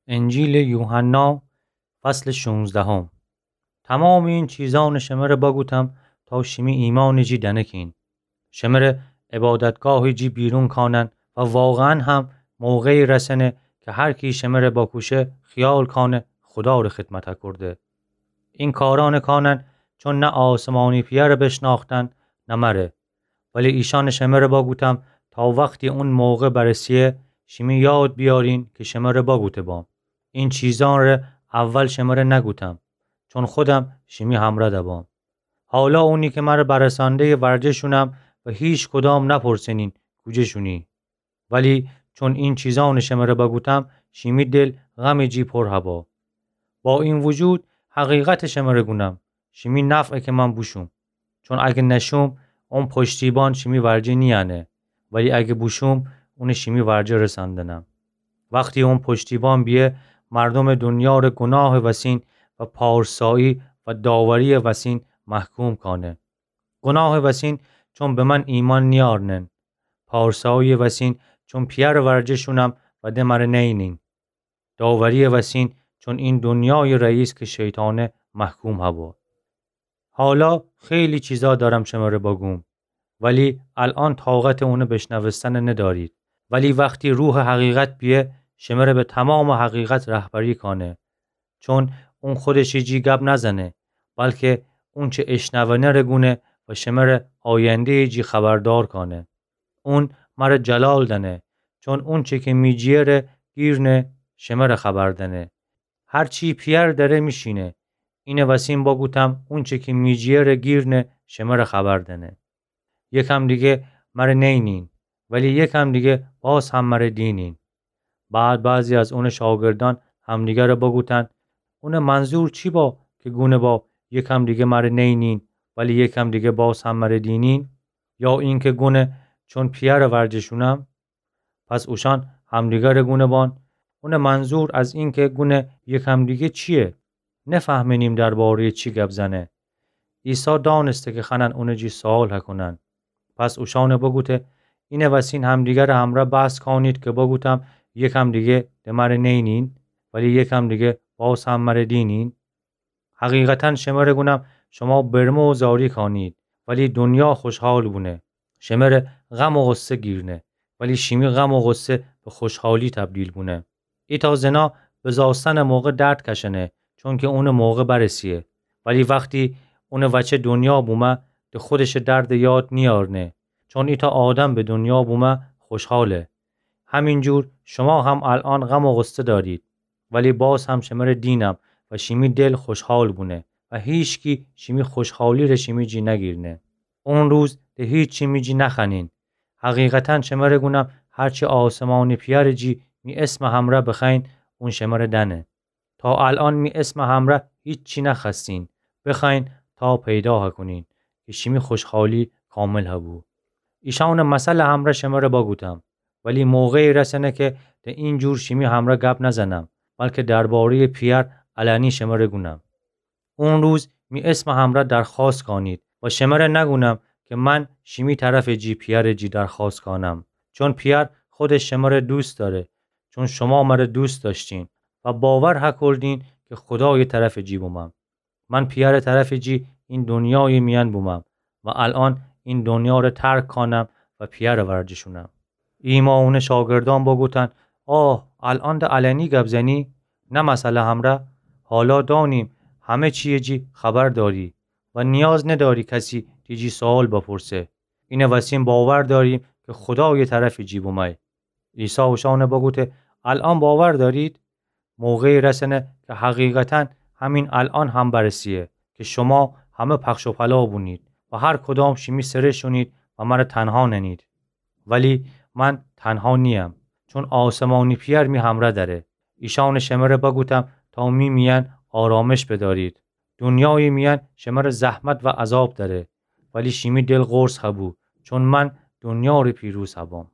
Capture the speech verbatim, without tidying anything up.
انجیلٚ یوحنا، فصلٚ شونزدهم. تومامٚ این چیزأنَ شمره بگوتم تا شیمی ایمأنٚ جی دنکین. شمره عبادتگاهٚ جی بیرون کانن و واقعاً هم موقعی رسنه که هر کی شمره بکوشه خیال کانه خوداره خدمت کورده. این کارأنَ کانن چون نه آسمانی پئرَ بشناختن نه مره. ولی ایشأنَ شمره بگوتم تا وختی اون موقع برسه شیمی یاد بیارین که شمره بگوته بام. این چیزأنَ ره اول شمره نگوتم، چون خودم شیمی همرأ دبام. حالا اونی که مره برسانده ورجه شونم و هیچ کدام نپرسنین کوجه شونی. ولی چون این چیزأنَ شمره بگوتم، شیمی دل غمٚ جی پر هبا. با این وجود حقیقتَ شمره گونم، شیمی نفعه که من بوشوم. چون اگه نشوم، اون پشتیبان شیمی ورجه نیأنه، ولی اگه بوشوم، اونَ شیمی ورجه رسندنم. وختی اون پشتیبان بیه، مردومٚ دونیاره گوناهٚ وسین و پارسایی و داوریٚ وسین محکوم کانه. گوناهٚ وسین چون به من ایمأن نیأرنن. پارساییٚ وسین چون پئرٚ ورجه شونم و ده مره نئینین. داوریٚ وسین چون این دونیایٚ رئیس که شیطانه محکوم هبا. حالا خیلی چیزا دأرم شمره بگوم، ولی الأن طاقتٚ اونٚ بشنوستنَ ندأرید. ولی وختی روحٚ حقیقت بیه، شمره به تومامٚ حقیقت رهبری کانه. چون اون خودشٚ جی گب نزنه، بلکه اونچه اشنونه ره گونه و شمره آینده‌یٚ جی خبردار کانه. اون مره جلال دأنه، چون اونچه که می جی‌یه ره گیرنه، شمره خبر دأنه. هر چی پئر دأره می‌شینه. اینٚ وسین بگوتم، اونچه که می جی‌یه ره گیرنه، شمره خبر دأنه. یکم دیگه مره نئینین، ولی یکم دیگه باز هم مره دینین. بعد بعضی از اونٚ شاگردأن همدیگره بگوتن، اونٚ منظور چی با که گونه با یکم دیگه مره نئینین، ولی یکم دیگه باز هم مره دینین؟ یا اینکه گونه چون پئرٚ ورجه شونم؟ پس اوشأن همدیگره گونه بان، اونٚ منظور از اینکه گونه یکم دیگه چیه؟ نفهمنیم درباره‌یٚ چی گب زنه. عیسی دانسته که خوأنن اونٚ جی سؤال هکونن. پس اوشأنَ بگوته، اینٚ وسین همدیگرٚ همرأ بحث کانید که بگوتم، یکم دیگه ده مره نئینین، ولی یکم دیگه باز هم مره دینین؟ حقیقتاً شمره گونم، شما برمه و زاری کانید، ولی دونیا خوشحال بونه. شمره غم و غصه گیرنه، ولی شیمی غم و غصه به خوشحالی تبدیل بونه. ایتأ زنا بزاستنٚ موقع درد کشنه، چونکه اونٚ موقع برسیه. ولی وختی اونٚ وچه دونیا بومه، ده خودشٚ درد یاد نیأرنه، چون ایتأ آدم به دونیا بومه خوشحاله. همینجور شما هم الأن غم و غصه دأرید، ولی باز هم شمره دینم و شیمی دل خوشحال بونه و هیچکی شیمی خوشحالی ره شیمی جی نگیرنه. اون روز ده هیچی می جی نخوأنین. حقیقتاً شمره گونم، هرچی آسمانٚ پئرٚ جی می اسمٚ همرأ بخوأیین، اون شمره دأنه. تا الأن می اسمٚ همرأ هیچی نخوأستین، بخوأیین تا پیدا هکونین که شیمی خوشحالی کامل هبو. ایشأنٚ مثلٚ همرأ شمره بگوتم، ولی موقعی رسنه که ده اینجور شیمی همرأ گب نزنم، بلکه درباره‌یٚ پئر علنی شمره گونم. اون روز می اسمٚ همرأ درخوأست کانید و شمره نگونم که من شیمی طرفٚ جی پئرٚ جی درخوأست کانم، چون پئر خودش شمره دوست دأره، چون شما مره دوست دأشتین و باور هکردین که خودایٚ طرفٚ جی بومم. من پئرٚ طرفٚ جی این دونیایٚ میأن بومم و الأن این دونیا ره ترک کانم و پئرٚ ورجه شونم. ایمأ اونٚ شاگردأن بگوتن، آه، الأن ده علنی گب زنی، نه مثلٚ همرأ؟ حالا دأنیم همه چییٚ جی خبر دأری و نیاز ندأری کسی تی جی سؤال بپرسه. اینٚ وسین باور دأریم که خودایٚ طرفٚ جی بومأیی. عیسی اوشأن بگوته، الأن باور دأرید؟ موقعی رسنه که حقیقتاً همین الأن هم برسیه که شما همه پخش و پلا بونید و هر کدام شیمی سره شونید و مره تنها ننید. ولی من تنها نییم، چون آسمانی پئر می همرأ دأره. ایشأن شمره بگوتم تا می میأن آرامش بدأرید. دونیایٚ میأن شمره زحمت و عذاب دأره، ولی شیمی دل قرص هبو، چون من دونیا ره پیروز هبام.